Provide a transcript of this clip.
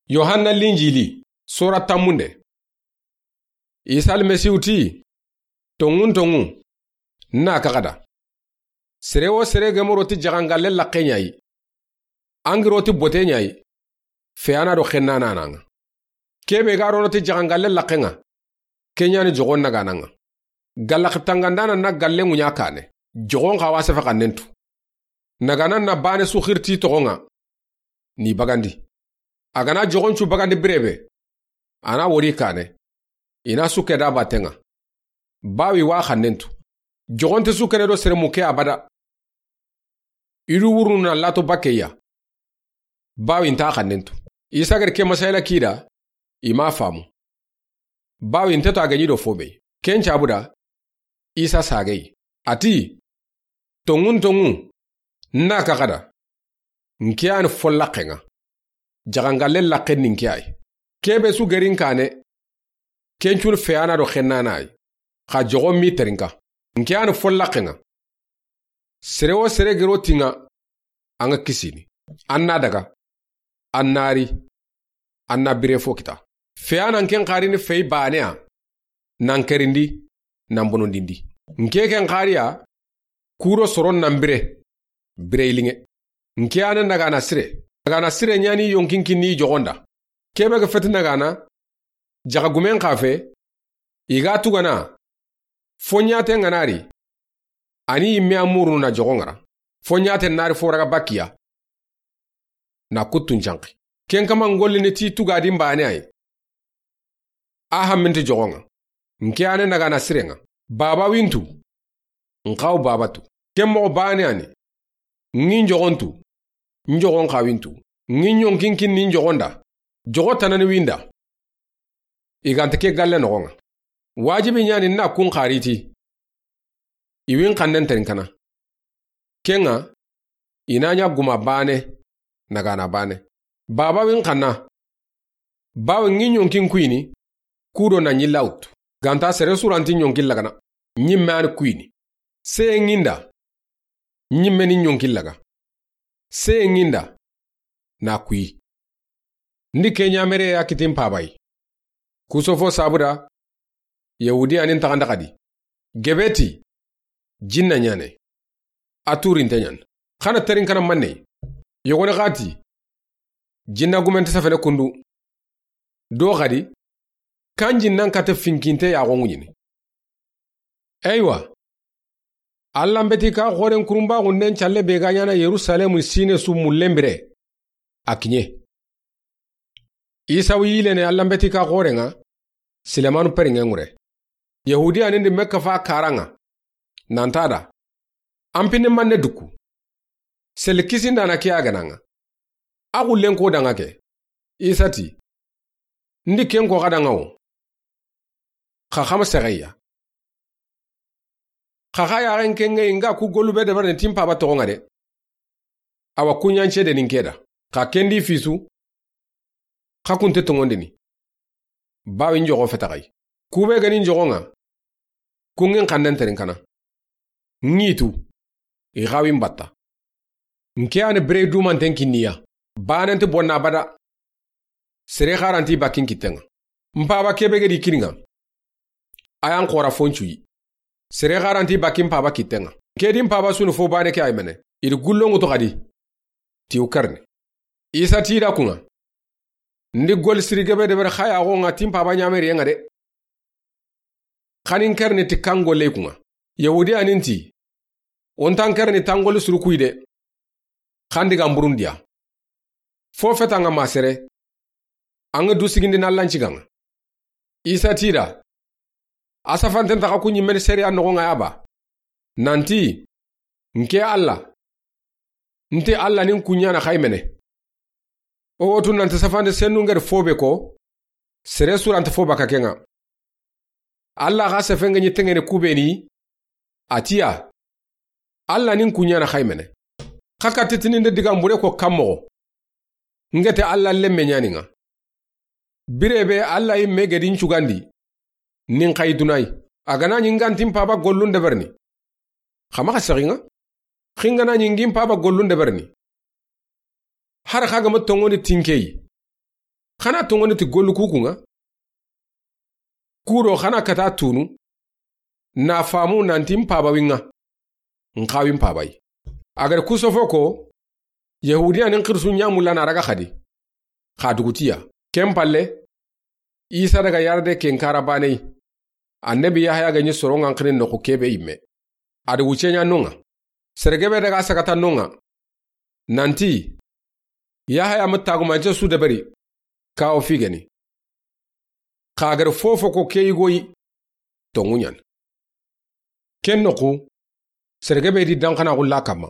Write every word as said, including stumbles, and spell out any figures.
Yohanna Linjili, sora tanmunde. Isa Almasihu ti, tonŋun tonŋu, n na kaxada. Sere wo sere ga ma ro ti jaxangalle laxe ɲa yi, a ga ro ti bote ɲa yi, feyana do xennana na ŋa. Kebe ga ro ti jaxangalle laxe ŋa, ke ɲa ni joxon nagana ŋa. Galaxe tangandana na galle ŋuɲa kane, joxon xa wa sefe xannen tu. Nagana na bane su xiri ti toxon ŋa, ni bagandi. A ga na joxon cu bagandi birebe, a na wori kane, i na su ke da baten ŋa. Bawi wa xannen tu. Joxon te su kene do sere muke abada. I du wurunu na lato bakeya. Bawi nta xannen tu. Isa ga ri ke masayila kida, i ma famu. Bawi nte to a ga ɲi do fobe. Ken cabuda, Isa sagey. A ti, tonŋun tonŋu, n na kaxada. N ke yani fo laxe ŋa. Jaxangalle laxe ni n ke yi. Kebe su ga ri n kane, ken cu ni feyana do xennana yi. Xa joxon mi terinka. N ke yani fo laxe ŋa. Sere wo sere ga ro ti ŋa, a ŋa kisini. A na daga. A na ri. A na bire fo kita. Feyana n ke n xarini fey baneya. Nan kerindi, nan bonondindi. N ke ke n xariya, kuro soron nan bire, bire ilinŋe. N ke yani nagana sire. Nagana sire ɲa ni yonkin kinni joxon da. Kebe ga feti nagana, jaxa gumen xa fe, i ga tugana, fo ɲate ŋa na ri, a ni yimme a murunu na joxon ŋa ra. Fo ɲate na ri fo raga bakiya. Na kuttun canxi. Ken kama n gollini ti tugadin bane yi. A hamminti joxon ŋa. N ke yani nagana sire ŋa. Baba wi n tu. N xa wa baba tu. Ken moxo bane yani. N ŋi n joxon tu. N joxon xa wi n tu. N ŋi n yonkin kinni n joxon da. Joxo tanani wi n da. I ga nta ke galle noxon ŋa. Wajibi ɲa ni n na kun xari ti. I wi n xannen terinka na. Ken ŋa, i na ɲa guma bane, nagana bane. Baba wi n xanna. Bawi n ŋi n yonkin kuyini, kudo na ɲi lawtu. Ga nta sere su ra nti n yonkin lagana. Ɲimme yani kuyini. Seye n ŋi n da. Ɲimme ni n yonkin laga. Seye n ŋi n da. Na kuyi. Ndi ke ɲamere ya kiti n paba yi. Kusofo sabuda, Yahudiya ni n taxanda xadi. Gebe ti, jinna ɲane. A turinte ɲan. Xana terinka na manne. Yogoni xa ti, jinna gumente safene kundu. Do xadi, kan jinnan kate finkinte yaxo ŋuɲini. Eywa. Alla n beti ka xoren kurumbaxunden calle be ga ɲana Yerusalemu sine su mullen bire. A kiɲe. Isa wi yilene Alla n beti ka xoren ŋa, Silemanu perinŋe ŋure. Yahudiya ni ndi Mekka fa karan ŋa. Nanta da. An pinne manne duku. Sel kisindana ke a gana ŋa. A xullen ko da ŋa ke. Isa ti. Ndi ken ko xa da ŋa wo. Xa xama sexeya. Xa xa yaxen ken ŋa yi n ga ku gollu be debarini ti n paba toxon ŋa de. Awa kuɲance de ni n ke da. Xa ken di fisu. Xa kunte toŋondini. Bawi n joxo fetaxay. Kube gani n joxon ŋa. Kun ŋi n xannen terinka na. N ŋi tu. I xawi n batta. N ke yani bire dumanten kinniya. Banen ti bonna bada. Sere xaranti bakin kitten ŋa. N paba kebe gedi kini ŋa. A yan xora fo n cuyi. Sere xaranti bakin paba kitten ŋa. N ke di n paba sunu fo bane ke ay mene. I di gullon ŋutu xadi. Ti u karni. Isa ti da kun ŋa. Ndi gol siri gebe debere xa yaxo ŋa ti n paba ɲameriye ŋa de. Xanin kerni ti kan golle kun ŋa. Yahudiya ni nti. O ntan kerni tan golli suru kuyi de. Xan di ga mburundiya. Fo feta ŋa ma sere. An ga du sigindi na Alla n ciga ŋa. Isa ti da. A safanten taxa ku ɲimmeni sere a noxon ŋa ya ba. Nanti. N ke Alla. Nti Alla ni n kuɲana xay mene. O wotu nanti safande sennu ngeri fo be ko. Sere surante fo baka ken ŋa. Alla xa sefe nga ɲi tengene kubeni. A tiya. Alla ni n kuɲana xay mene. Xa ka titini nde diga mbure ko kan moxo. Ngete Alla lemme ɲani ŋa. Bire be Alla yi me gedi n cugandi. Nin xay dunay. A gana ɲi ngantin paba gollun deberni. Xa maxa sexi ŋa. Xingana ɲi ngin paba gollun deberni. Har xa gama tongoni tinkeyi. Xa na tonŋoni ti gollu ku ku ŋa. Ku do xa na kata tunu, na faamu nanti n paaba wi ŋa, n xa wi n paaba yi. A ga ri ku sofo ko, Yahudiya ni n xirisu ɲa mulla na raga xadi, xa duguti ya. Ken palle, Isa daga yarade ken kara baane yi. Annabi Yahaya ga ɲi soron ŋa n xiri noxu ke be yi me. A di wucce ɲa no ŋa. Sere gebe daga sagata no ŋa. Nanti, Yahaya ma tagumance su deberi, kawo figeni. Xa ga ri fofo ko ke yigo yi, tonŋu ɲa ni. Ken noxu, sere gebe di danxana xulla kamma.